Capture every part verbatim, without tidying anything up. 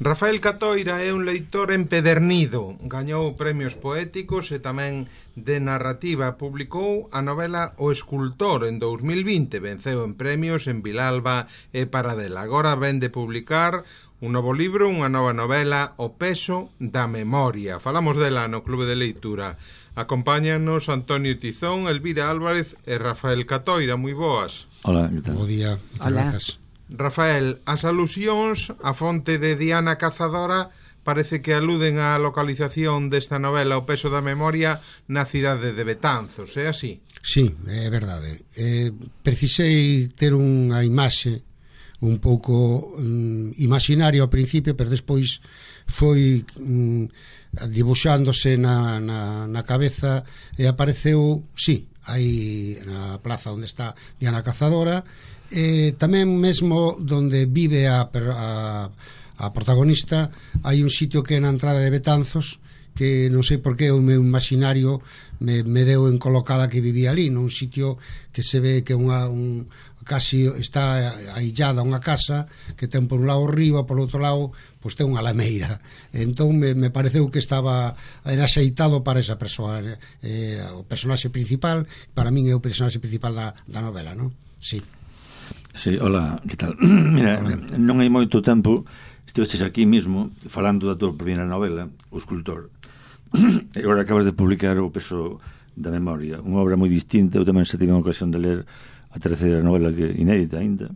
Rafael Catoira é un leitor empedernido, gañou premios poéticos e tamén de narrativa. Publicou a novela O Escultor en dous mil vinte, venceu en premios en Vilalba e Paradela. Agora ven de publicar un novo libro, unha nova novela, O Peso da Memoria. Falamos dela no Clube de Leitura. Acompáñanos Antonio Tizón, Elvira Álvarez e Rafael Catoira. Moi boas. Hola, que tal? Bo día, Hola. grazas. Rafael, as alusións á fonte de Diana Cazadora parece que aluden á localización desta novela O Peso da Memoria na cidade de Betanzos, é así? Sí, é verdade. Eh, precisei ter unha imaxe un pouco mm, imaginaria ao principio, pero despois foi mm, dibuixándose na, na, na cabeza e apareceu, sí, aí na plaza onde está Diana Cazadora. Eh, tamén mesmo donde vive a, a, a protagonista hai un sitio que é na entrada de Betanzos, que non sei por que o meu imaginario me, me deu en colocala que vivía ali, nun sitio que se ve que unha, un, casi está aillada unha casa que ten por un lado o río e por outro lado pois ten unha lameira. Entón me, me pareceu que estaba era xeitado para esa persoa, eh, o personaxe principal. Para min é o personaxe principal da, da novela, non? Sí. Sí, hola, que tal? Mira, hola. Non hai moito tempo estiveches aquí mismo falando da tua primeira novela, O Escultor. E agora acabas de publicar O Peso da Memoria, unha obra moi distinta. Eu tamén xa tive a ocasión de ler a terceira novela, que inédita ainda,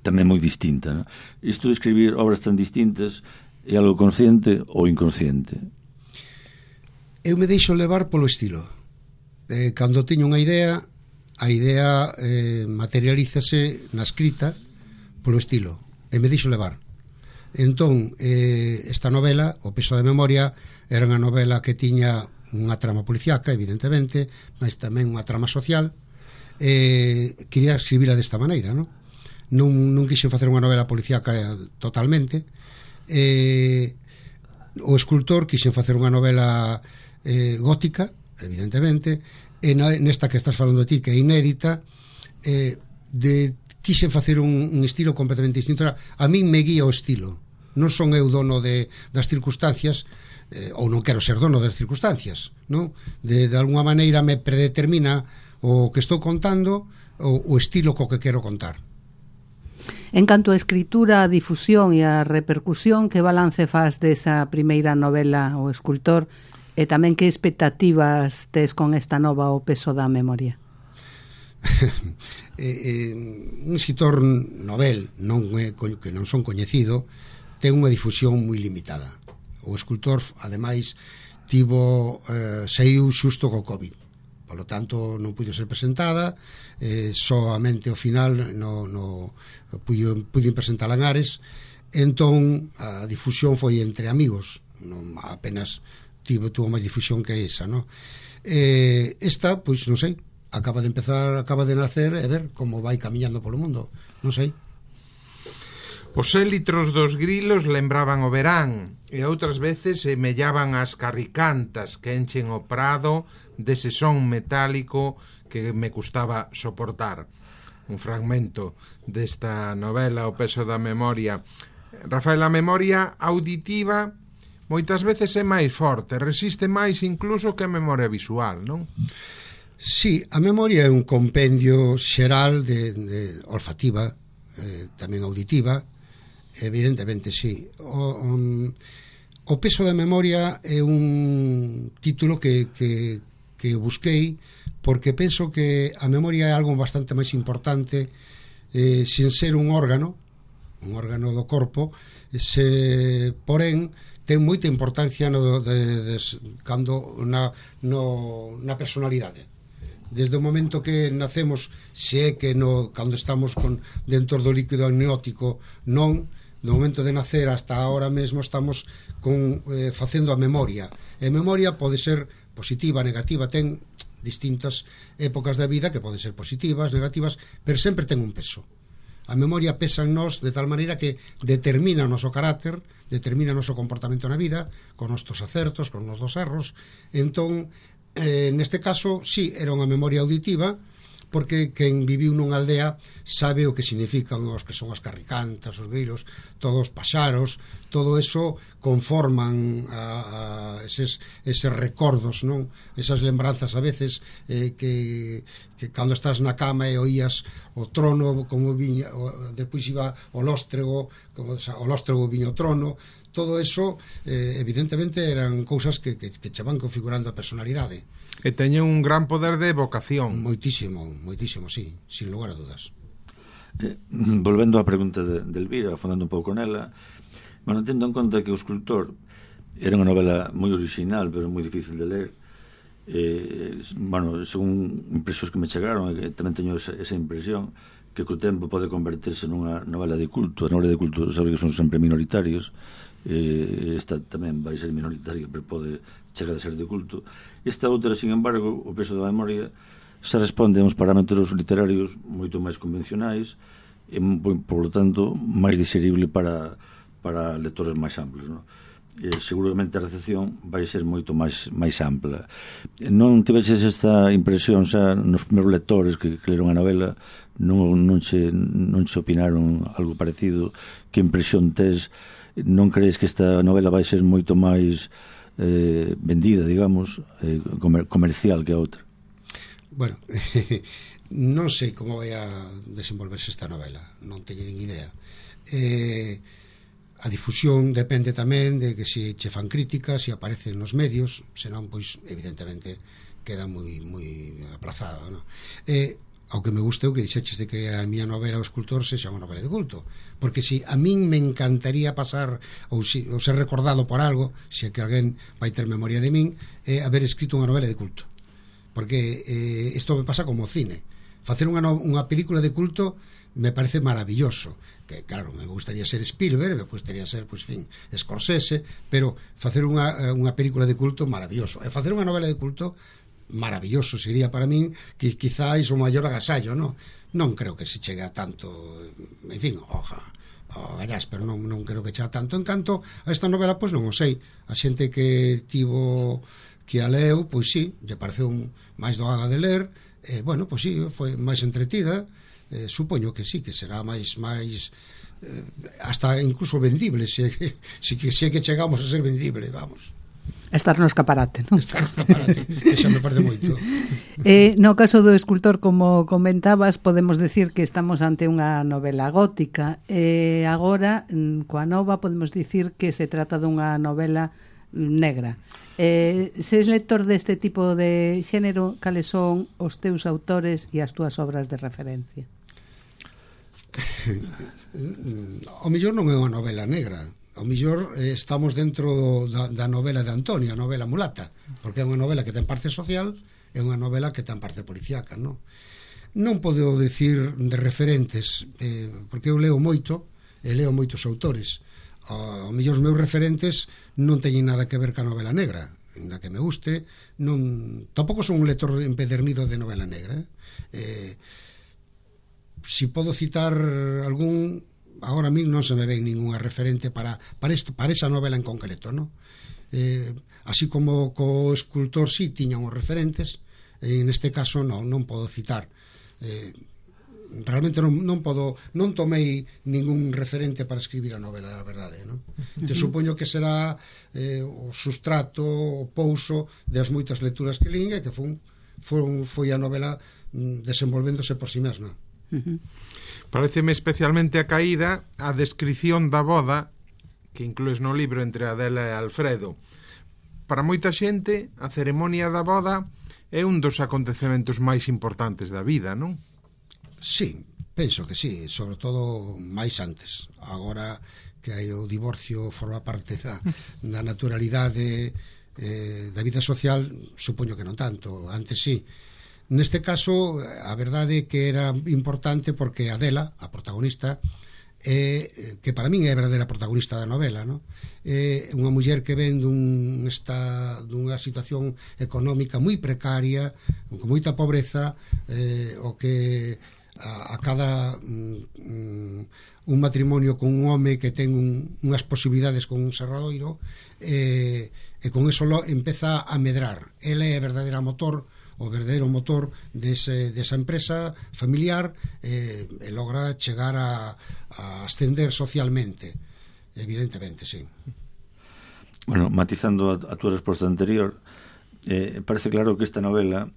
tamén moi distinta, non? Isto de escribir obras tan distintas é algo consciente ou inconsciente? Eu me deixo levar polo estilo. Eh, cando teño unha idea, a idea eh, materialízase na escrita polo estilo, e me deixo levar. Entón, eh, esta novela, O Peso da Memoria, era unha novela que tiña unha trama policíaca, evidentemente, mas tamén unha trama social. Eh, quería escribila desta maneira, non? Non, non quixen facer unha novela policíaca totalmente. Eh, o Escultor quixen facer unha novela eh, gótica, evidentemente, e nesta que estás falando ti, que é inédita, eh, de, quixen facer un, un estilo completamente distinto. A min me guía o estilo, non son eu dono de, das circunstancias, eh, ou non quero ser dono das circunstancias, non? De, de alguma maneira me predetermina o que estou contando, o, o estilo co que quero contar. En canto a escritura, a difusión e a repercusión, que balance faz desa primeira novela, O Escultor, e tamén que expectativas tes con esta nova O Peso da Memoria? eh, eh, un escritor novel non é, que non son coñecido, ten unha difusión moi limitada. O Escultor, ademais, tivo eh, saiu xusto co COVID, polo tanto non puido ser presentada, eh, soamente ao final no, no, puido, puido presentala en Ares. Entón a difusión foi entre amigos, non apenas tivo, tuvo máis difusión que esa, non? Eh, esta, pois non sei, acaba de empezar, acaba de nacer, e ver como vai camiñando polo mundo, non sei. Os élitros dos grilos lembraban o verán e outras veces semellaban as carricantas que enchen o prado dese son metálico que me custaba soportar. Un fragmento desta novela O Peso da Memoria. Rafael, a memoria auditiva moitas veces é máis forte, resiste máis incluso que a memoria visual, non? Sí, a memoria é un compendio xeral de, de olfativa, eh, tamén auditiva, evidentemente, sí. O, um, o Peso da Memoria é un título que, que, que busquei porque penso que a memoria é algo bastante máis importante, eh, sin ser un órgano, un órgano do corpo, se, porén, ten moita importancia no, de, de, cando na, no, na personalidade. Desde o momento que nacemos, se é que no, cando estamos con, dentro do líquido amniótico, non, no momento de nacer hasta ahora mesmo estamos con, eh, facendo a memoria. E a memoria pode ser positiva, negativa, ten distintas épocas da vida que poden ser positivas, negativas, pero sempre ten un peso. A memoria pesa en nós de tal maneira que determina o noso carácter, determina o noso comportamento na vida, con nostos acertos, con os nosos erros. Entón, eh, neste caso, sí, era unha memoria auditiva, porque quen viviu nunha aldea sabe o que significan os que son as carricantas, os grilos, todos os paxaros, todo eso conforman a, a eses, eses recordos, non? Esas lembranzas a veces eh, que, que cando estás na cama e oías o trono como viña, o, depois iba o lóstrego, como o lóstrego viña o trono, todo eso eh, evidentemente eran cousas que, que, que che van configurando a personalidade. E teñen un gran poder de evocación. Moitísimo, moitísimo, sí, sin lugar a dudas. Eh, volvendo á pregunta de, de Elvira, afondando un pouco nela, bueno, tendo en conta que o escultor era unha novela moi original, pero moi difícil de ler, eh, bueno, según impresións que me chegaron, e tamén teño esa, esa impresión, que co tempo pode converterse nunha novela de culto. A novela de culto sabe que son sempre minoritarios, eh, esta tamén vai ser minoritaria, pero pode chegar a ser de culto. Esta outra, sin embargo, o peso da memoria, se responde a uns parámetros literarios moito máis convencionais e, por lo tanto, máis digerible para, para lectores máis amplos, non? E seguramente a recepción vai ser moito máis máis ampla. Non tiveses esta impresión xa nos primeiros lectores que, que leron a novela, non, non, se, non se opinaron algo parecido? Que impresión tes? Non crees que esta novela vai ser moito máis eh, vendida, digamos, eh, comer, comercial que a outra? Bueno, non sei como vai a desenvolverse esta novela, non teño nin idea. Eh, a difusión depende tamén de que se che fan críticas, se aparecen nos medios, senón, pois, evidentemente, queda moi moi aplazado, non? Eh, ao que me guste o que dixeches de que a miña novela O escultor sexa unha novela de culto, porque si a min me encantaría pasar ou, si, ou ser recordado por algo, se que alguén vai ter memoria de min, é haber escrito unha novela de culto, porque eh, isto me pasa como cine. Facer unha, no, unha película de culto me parece maravilloso, que claro, me gustaría ser Spielberg, me gustaría ser, pois, fin, Scorsese, pero facer unha, unha película de culto maravilloso, e facer unha novela de culto maravilloso sería para min que quizáis o maior agasallo, non? Non creo que se chegue a tanto, en fin, oja, o gallás, pero non, non creo que chegue a tanto. En canto a esta novela, pois non o sei, a xente que tivo que a leu, pois sí, lle pareceu un, máis doada de ler, e, bueno, pois sí, foi máis entretida, eh, supoño que sí, que será máis máis eh, hasta incluso vendible, se, se, que, se que chegamos a ser vendible, vamos. Estar no escaparate, non? Estar no escaparate, xa me parece moito. Eh, no caso do escultor, como comentabas, podemos decir que estamos ante unha novela gótica, e eh, agora, coa nova, podemos dicir que se trata dunha novela negra. Eh, se es lector deste tipo de xénero, cales son os teus autores e as túas obras de referencia? O mellor non é unha novela negra, o mellor eh, estamos dentro da, da novela de Antonio, a novela mulata, porque é unha novela que ten parte social e unha novela que ten parte policíaca, non? Non podo decir de referentes, eh, porque eu leo moito e leo moitos autores. O mellor os meus referentes non teñen nada que ver ca novela negra, na que me guste, non, tampouco son un lector empedernido de novela negra, eh? Eh, si podo citar algún, agora mismo non se me ven ninguna referente para para, este, para esa novela en concreto, ¿no? Eh, así como co escultor sí tiñan os referentes, en este caso non, non podo citar. Eh, realmente non, non podo, non tomei ningún referente para escribir a novela, a verdade, non? Te supoño que será eh, o sustrato, o pouso das moitas lecturas que lín e que foi, foi, foi a novela mm, desenvolvéndose por si mesma. Uh-huh. Pareceme especialmente a caída a descrición da boda que inclues no libro entre Adela e Alfredo. Para moita xente, a ceremonia da boda é un dos acontecementos máis importantes da vida, non? Sí, penso que sí, sobre todo máis antes. Agora que hai o divorcio forma parte da, da naturalidade eh, da vida social, supoño que non tanto, antes sí. Neste caso, a verdade é que era importante porque Adela, a protagonista, é, que para min é a verdadeira protagonista da novela, no? É unha muller que ven dun esta, dunha situación económica moi precaria, con moita pobreza, eh, o que a, a cada um, un matrimonio con un home que ten un, unhas posibilidades con un serradoiro, eh, e con eso lo empeza a medrar. Ela é a verdadeira motor, o verdadeiro motor dese, desa empresa familiar eh, e logra chegar a, a ascender socialmente, evidentemente, sí. Bueno, matizando a, a túa resposta anterior, eh, parece claro que esta novela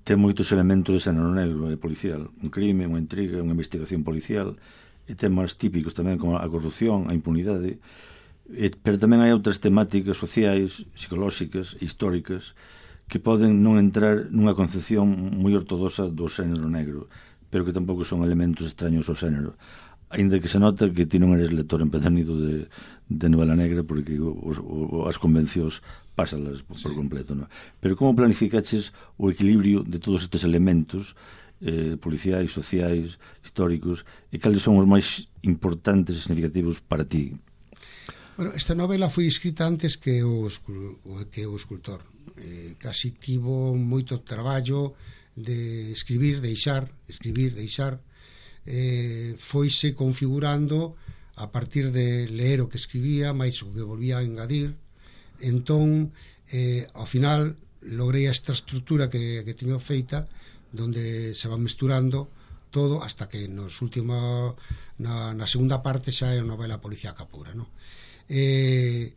ten moitos elementos de xénero negro e policial, un crime, unha intriga, unha investigación policial, e temas típicos tamén como a corrupción, a impunidade, e, pero tamén hai outras temáticas sociais, psicolóxicas, históricas, que poden non entrar nunha concepción moi ortodoxa do xénero negro, pero que tampouco son elementos extraños ao xénero, aínda que se nota que ti non eres lector empedernido de, de novela negra, porque os, o, as convencións pásalas por, por completo, non? Pero como planificaches o equilibrio de todos estes elementos eh, policiais, sociais, históricos, e cales son os máis importantes e significativos para ti? Bueno, esta novela foi escrita antes que o, que o escultor. Eh, casi tivo moito traballo de escribir, deixar, escribir, deixar, eh, foise configurando a partir de ler o que escribía, máis o que volvía a engadir. Entón, eh, ao final, logrei esta estrutura que, que teño feita, donde se va mesturando todo hasta que nos último, na, na segunda parte xa é a novela policíaca pura, non? Eh,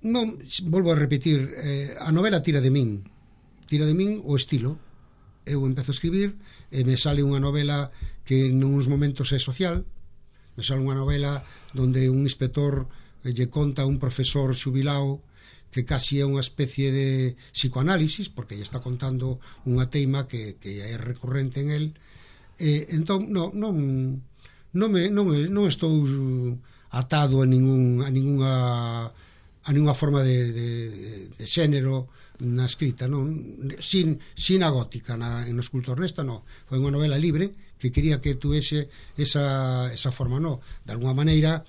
non, volvo a repetir, eh, a novela tira de min, tira de min o estilo. Eu empezo a escribir e me sale unha novela que nuns momentos é social, me sale unha novela donde un inspector lle conta a un profesor xubilao que casi é unha especie de psicoanálisis, porque lle está contando unha teima que, que é recurrente en el. E, entón, non, non, non, me, non, non estou atado a, ningún, a ninguna a ninguna forma de, de, de xénero na escrita, non? Sin, sin a gótica na, en o escultor nesta, non. Foi unha novela libre que quería que tuese esa, esa forma, non? De alguna maneira,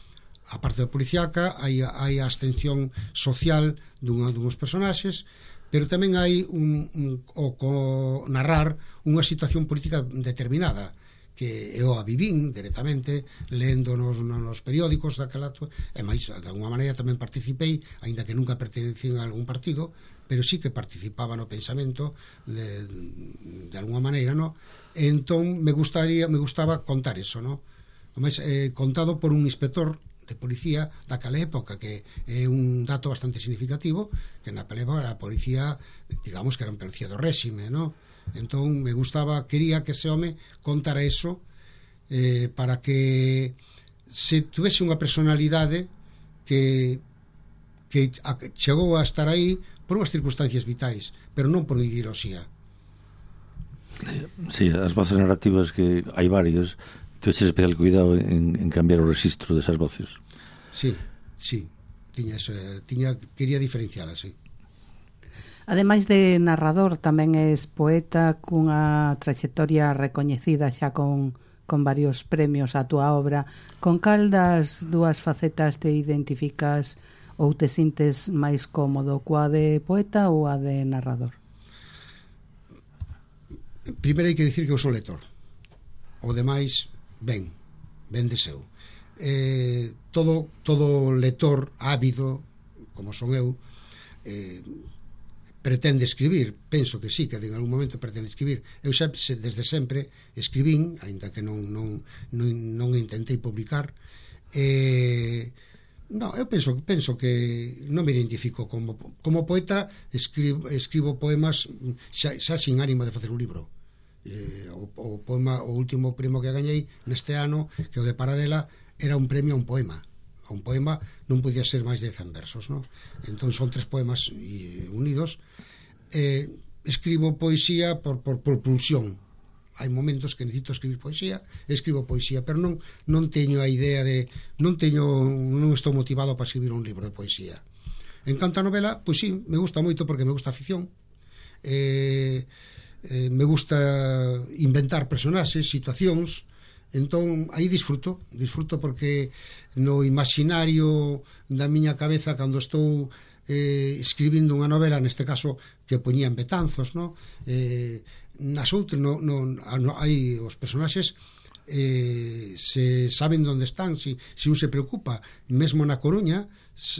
a parte da policiaca, hai, hai a ascensión social dunha, dunhos personaxes, pero tamén hai un, un, o co narrar unha situación política determinada, que eu a vivín directamente lendo nos, nos periódicos daquela, e máis, de alguna maneira tamén participei, aínda que nunca pertenecín a algún partido, pero sí que participaba no pensamento de, de alguna maneira, no? E entón me gustaría, me gustaba contar eso, no? Mas, eh, contado por un inspector de policía daquela época, que é un dato bastante significativo, que na época a policía, digamos que era un policía do réxime, no? Entón me gustaba, quería que ese home contara eso, eh, para que se tuvese unha personalidade que que chegou a estar aí por unhas circunstancias vitais, pero non por ideoloxía. Sí, as voces narrativas, que hai varias, teches especial cuidado en, en cambiar o registro desas voces. Sí, sí, tiña eso, tiña, quería diferencialas, sí. Ademais de narrador, tamén és poeta cunha trayectoria recoñecida xa con, con varios premios a túa obra. Con cal das dúas facetas te identificas ou te sintes máis cómodo, coa de poeta ou a de narrador? Primeiro hai que dicir que eu son lector. O demais, ben, ben deseo. Eh, todo, todo lector ávido, como son eu, eh, pretende escribir, penso que sí, que en algún momento pretende escribir. Eu xa desde sempre escribín, aínda que non, non, non, non intentei publicar. Eh, no, eu penso, penso que non me identifico como, como poeta, escribo, escribo poemas xa, xa sin ánimo de facer un libro. Eh, o, o poema, o último premio que gañei neste ano, que o de Paradela, era un premio a un poema. Un poema non podía ser máis de cen versos, no? Entón son tres poemas unidos. Eh, escribo poesía por, por, por pulsión. Hai momentos que necesito escribir poesía, escribo poesía, pero non, non teño a idea de non teño, non estou motivado para escribir un libro de poesía. En canto a novela, pois sí, me gusta moito porque me gusta a ficción. Eh, eh, me gusta inventar personaxes, situacións. Entón, aí disfruto, disfruto porque no imaginario da miña cabeza, cando estou eh, escribindo unha novela, neste caso, que poñía en Betanzos, no? Eh, nas outras, no, no, no, hai os personaxes eh, se saben onde están, si, si un se preocupa, mesmo na Coruña,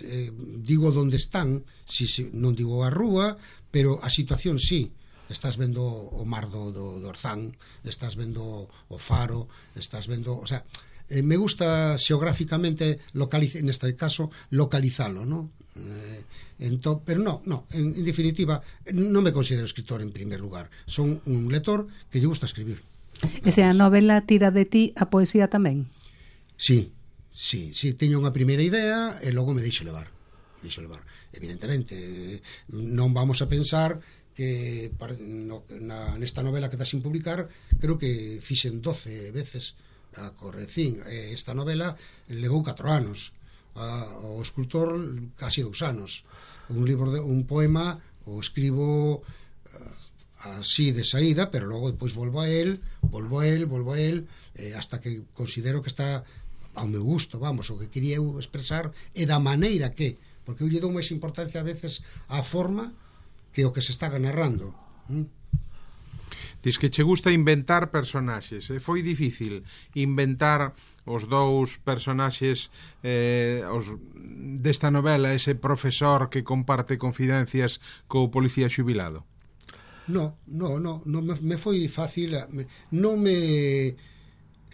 eh, digo onde están, si, si, non digo a rúa, pero a situación sí. estás vendo o mar do, do, do Orzán, estás vendo o Faro, estás vendo, o sea, eh, me gusta xeográficamente localizar, neste caso localizalo, ¿no? Eh, entón, pero no, no, en, en definitiva non me considero escritor en primer lugar, son un lector que lle gusta escribir. E se a novela tira de ti, a poesía tamén? Sí, sí, sí, teño unha primeira idea e logo me deixo levar. Me deixo levar. Evidentemente, non vamos a pensar que no, na, nesta novela que está sin publicar, creo que fixen doce veces a correcín. Esta novela levou catro anos. A, o escultor casi dous anos. Un libro de, un poema o escribo así de saída, pero logo depois volvo a él, volvo a él, volvo a él, eh, hasta que considero que está ao meu gusto, vamos, o que quería eu expresar e da maneira que, porque eu lle dou máis importancia a veces á forma que o que se está narrando. ¿Mm? Diz que che gusta inventar personaxes, e foi difícil inventar os dous personaxes eh, os, desta novela, ese profesor que comparte confidencias co policía xubilado. No, no, no, no me, me foi fácil, me, non me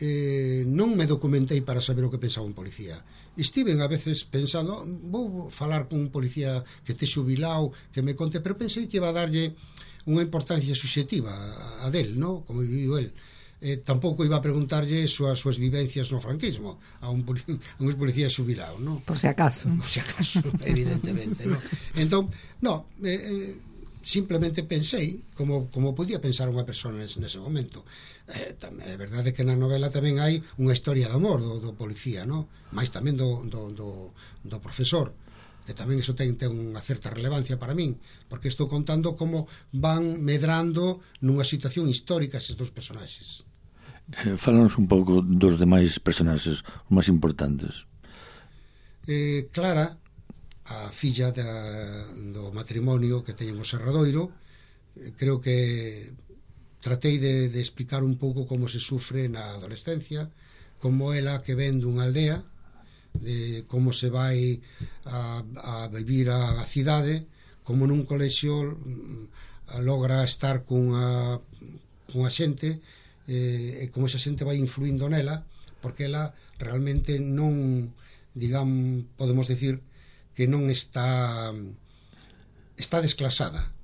eh, non me documentei para saber o que pensaba un policía. Estiven a veces pensando, vou falar con un policía que este xubilado, que me conte, pero pensei que iba a darlle unha importancia subxectiva a, a del, no? Como viviu el. Eh, tampouco iba a preguntarlle as súas vivencias no franquismo a un, a un policía xubilado, no? Por si acaso. Por si acaso, evidentemente, no? Entón, no, eh, eh, simplemente pensei como, como podía pensar unha persona nese, nese momento. Eh, tamén, é verdade que na novela tamén hai unha historia de amor do, do policía, no? Mais tamén do, do, do, do profesor, que tamén iso ten, ten unha certa relevancia para min, porque estou contando como van medrando nunha situación histórica eses dous personaxes. Eh, fálanos un pouco dos demais personaxes, os máis importantes. Eh, Clara, a filla da, do matrimonio que teñen o Serradoiro, creo que tratei de, de explicar un pouco como se sufre na adolescencia, como ela que ven dunha aldea, de como se vai a, a vivir a, a cidade, como nun colexio logra estar cunha, cunha xente, eh, e como esa xente vai influindo nela, porque ela realmente non, digamos, podemos decir que non está está desclasada,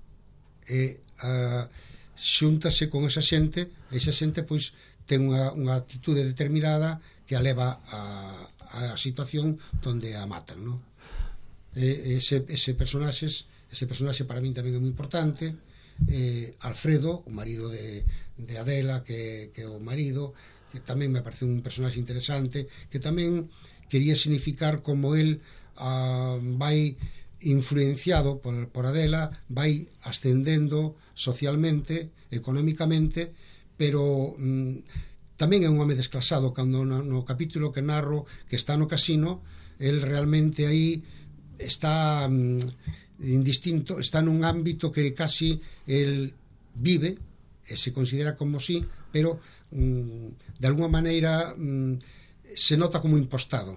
e a, xúntase con esa xente, e esa xente pois ten unha, unha actitude determinada que a leva a, a situación donde a matan, no? E, ese, ese personaxes ese personaxe para min tamén é moi importante. eh, Alfredo, o marido de, de Adela, que, que é o marido, que tamén me parece un personaxe interesante, que tamén quería significar como el Uh, vai influenciado por, por Adela, vai ascendendo socialmente, económicamente, pero mm, tamén é un home desclasado. Cando no, no capítulo que narro, que está no casino, el realmente aí está mm, indistinto, está nun ámbito que casi el vive e se considera como si, pero mm, de alguma maneira mm, se nota como impostado.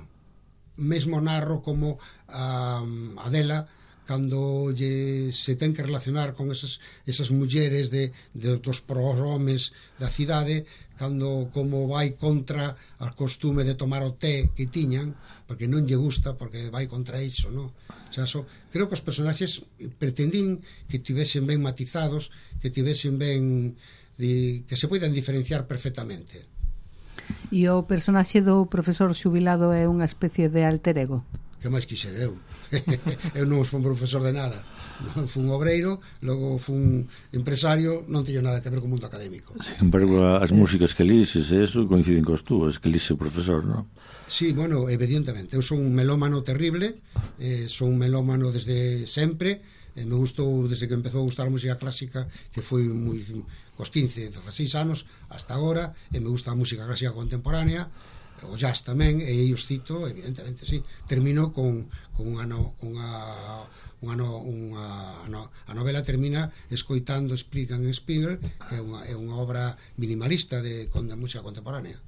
Mesmo narro como a Adela, cando lle se ten que relacionar con esas, esas mulleres de, de dos prohomes da cidade, cando como vai contra a costume de tomar o té que tiñan, porque non lle gusta, porque vai contra iso, no? O sea, so, creo que os personaxes pretendín que tivesen ben matizados, que tivesen ben de, que se poidan diferenciar perfectamente. E o personaxe do profesor xubilado é unha especie de alter ego? Que máis quixer eu? Eu non fui un profesor de nada, non fui un obreiro, logo fui un empresario, non teño nada que ver co mundo académico. Sin embargo, as músicas que lises e eso coinciden cos túas, que lixe o profesor, non? Sí, bueno, evidentemente, eu son un melómano terrible, eh, son un melómano desde sempre, eh, me gustou desde que empezou a gustar a música clásica, que foi moi cos quince, dezaseis anos hasta agora, e me gusta a música clásica contemporánea, o jazz tamén, e aí os cito, evidentemente, sí. Termino con, con unha, no, unha, unha, no, unha no, a novela termina escoitando Spriggan e Spiegel, que é unha, é unha obra minimalista de, de música contemporánea.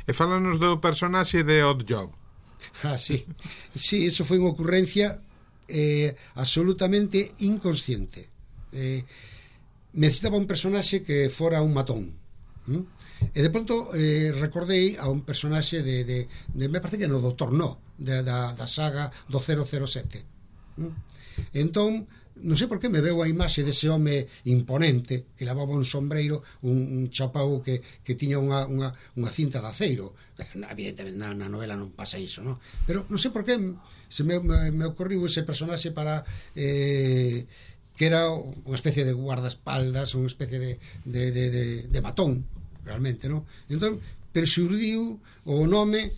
E fálanos do personaxe de Odd Job. Ah, sí, sí, eso foi unha ocurrencia eh, absolutamente inconsciente. Eh, necesitaba un personaxe que fora un matón. ¿Mm? E de pronto eh, recordei a un personaxe de, de, de me parece que no doutor No de, da, da saga do cero cero sete. ¿Mm? Entón non sei por que me veo a imaxe dese home imponente que levaba un sombreiro, un, un chapau que, que tiña unha, unha, unha cinta de aceiro. Evidentemente na, na novela non pasa iso, ¿no? Pero non sei por que se me, me, me ocorriu ese personaxe para eh, que era unha especie de guardaespaldas, unha especie de, de, de, de, de matón realmente, ¿no? Entón, pero xurdiu o nome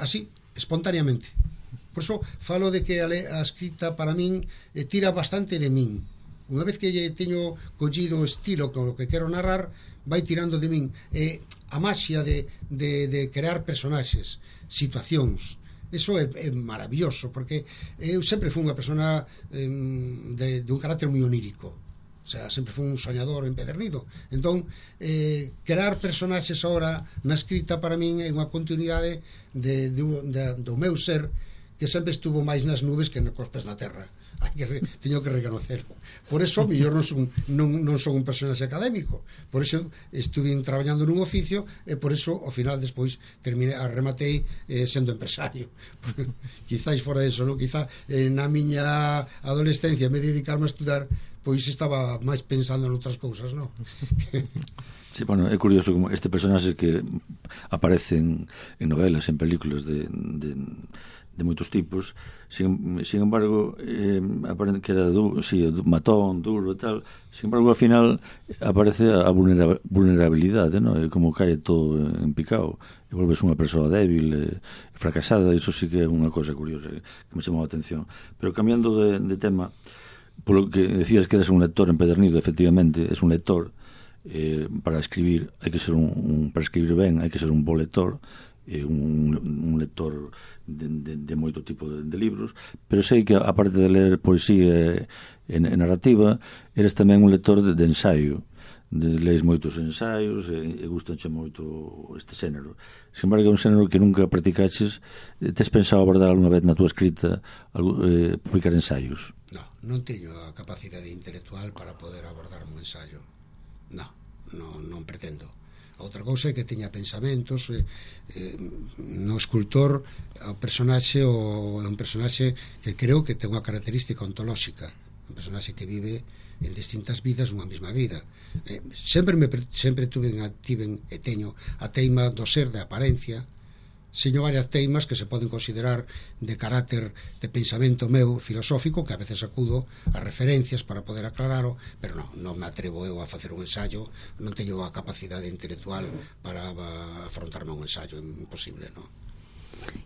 así, espontaneamente. Por iso falo de que a, le, a escrita para min eh, tira bastante de min. Unha vez que lle teño collido o estilo con o que quero narrar, vai tirando de min. Eh, a maxia de, de, de crear personaxes, situacións, eso é, é maravilloso, porque eu sempre fui unha persona eh, de, de un carácter moi onírico. O sea, sempre fui un soñador empedernido. Entón, eh, crear personaxes ahora na escrita para min é unha continuidade de, de, de, do meu ser que sempre estuvo máis nas nubes que cos pés na terra. Hai que re, teño que reconocer. Por eso, mellor non son, non, non son un personaxe académico. Por eso estuve traballando nun oficio e por eso, ao final, despois terminei, rematei eh, sendo empresario. Quizáis fora eso, non? Quizá eh, na miña adolescencia me dedicarme a estudar, pois estaba máis pensando en outras cousas, non? Sí, bueno, é curioso como este personaxe que aparecen en novelas, en películas de, de, de moitos tipos, sin, sin embargo eh, aparece que era du, sí, matón, duro e tal, sin embargo ao final aparece a vulnerabilidade, ¿no? E como cae todo en picado e volves unha persoa débil e fracasada. Iso sí que é unha cosa curiosa que me chamou a atención. Pero cambiando de, de tema, polo que decías que eres un lector empedernido, efectivamente, es un lector. Eh, para escribir hai que ser un, un para escribir ben hai que ser un bo lector, eh, un, un lector de, de, de moito tipo de, de libros, pero sei que aparte de ler poesía e, e narrativa, eres tamén un lector de, de ensaio, de, lees moitos ensaios e, e gustanche moito este xénero. Sin embargo, é un xénero que nunca practicaches. Tes pensado abordar alguna vez na tua escrita algo, eh, publicar ensaios? No, non teño a capacidade intelectual para poder abordar un ensaio. No, no, non pretendo. Outra cousa é que teña pensamentos. eh, eh, no escultor o personaxe o, é un personaxe que creo que ten unha característica ontolóxica, un personaxe que vive en distintas vidas unha mesma vida. eh, sempre me sempre tuve tiven e teño a teima do ser de apariencia. Seño varias teimas que se poden considerar de carácter de pensamento meu filosófico, que a veces acudo a referencias para poder aclararlo, pero non, non me atrevo eu a facer un ensayo, non teño a capacidade intelectual para afrontarme a un ensayo, é imposible, non?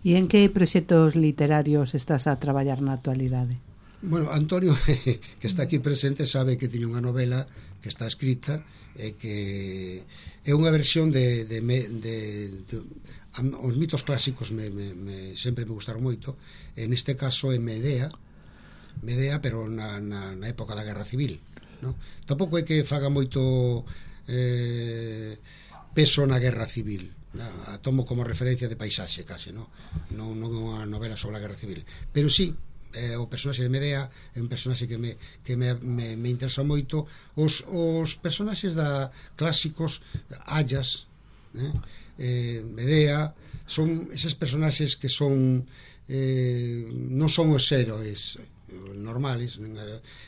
E en que proxectos literarios estás a traballar na actualidade? Bueno, Antonio, que está aquí presente, sabe que teño unha novela que está escrita e que é unha versión de, de, de, de os mitos clásicos me, me, me, sempre me gustaron moito. En este caso é Medea Medea, pero na, na, na época da Guerra Civil, no? Tampouco é que faga moito eh, peso na Guerra Civil, no? A tomo como referencia de paisaxe case, no? Non, non é unha novela sobre a Guerra Civil, pero sí, eh, o personaxe de Medea é un personaxe que me, que me, me, me interesa moito. Os, os personaxes da clásicos, Ayas, eh? Eh, Medea, son eses personaxes que son eh, non son os héroes normales,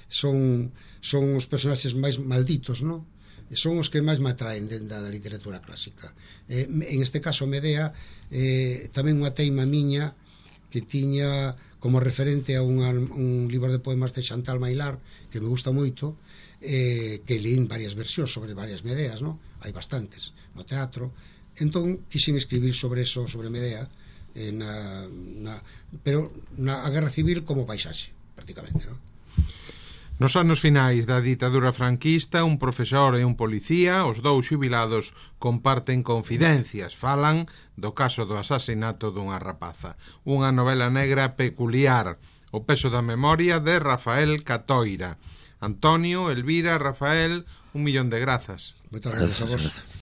son, son os personaxes máis malditos, non? Son os que máis me atraen dentro da literatura clásica. Eh, en este caso Medea, eh, tamén unha teima miña que tiña como referente a unha, un libro de poemas de Chantal Maillard que me gusta moito, eh, que leín varias versións sobre varias Medeas, non? Hai bastantes no teatro. Entón quixen escribir sobre eso, sobre Medea, eh, na, na, pero na a Guerra Civil como paisaxe, prácticamente, non? Nos anos finais da ditadura franquista, un profesor e un policía, os dous xubilados, comparten confidencias, falan do caso do asasinato dunha rapaza. Unha novela negra peculiar, O peso da memoria, de Rafael Catoira. Antonio, Elvira, Rafael, un millón de grazas. Moitas grazas a vos.